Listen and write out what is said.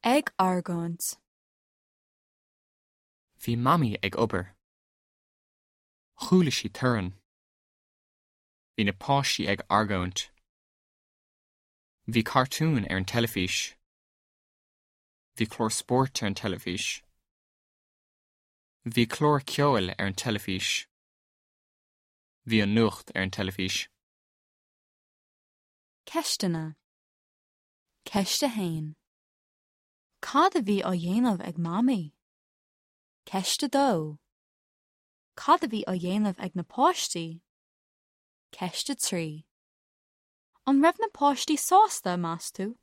Ag argóint. Bhí Mamaí ag obair. Chuala sí torann. Bhí na páistí ag argóint. Bhí cartúin ar an teilifís. Bhí clár spóirt ar an teilifís. Bhí clár ceoil ar an teilifís. Bhí an nuacht ar an teilifís. Ceisteanna. Ceist 1. Cad a bhí á dhéanamh ag Mamaí? Ceist 2. Cad a bhí á dhéanamh ag na páistí? Ceist 3. An raibh na páistí sásta, meas tú?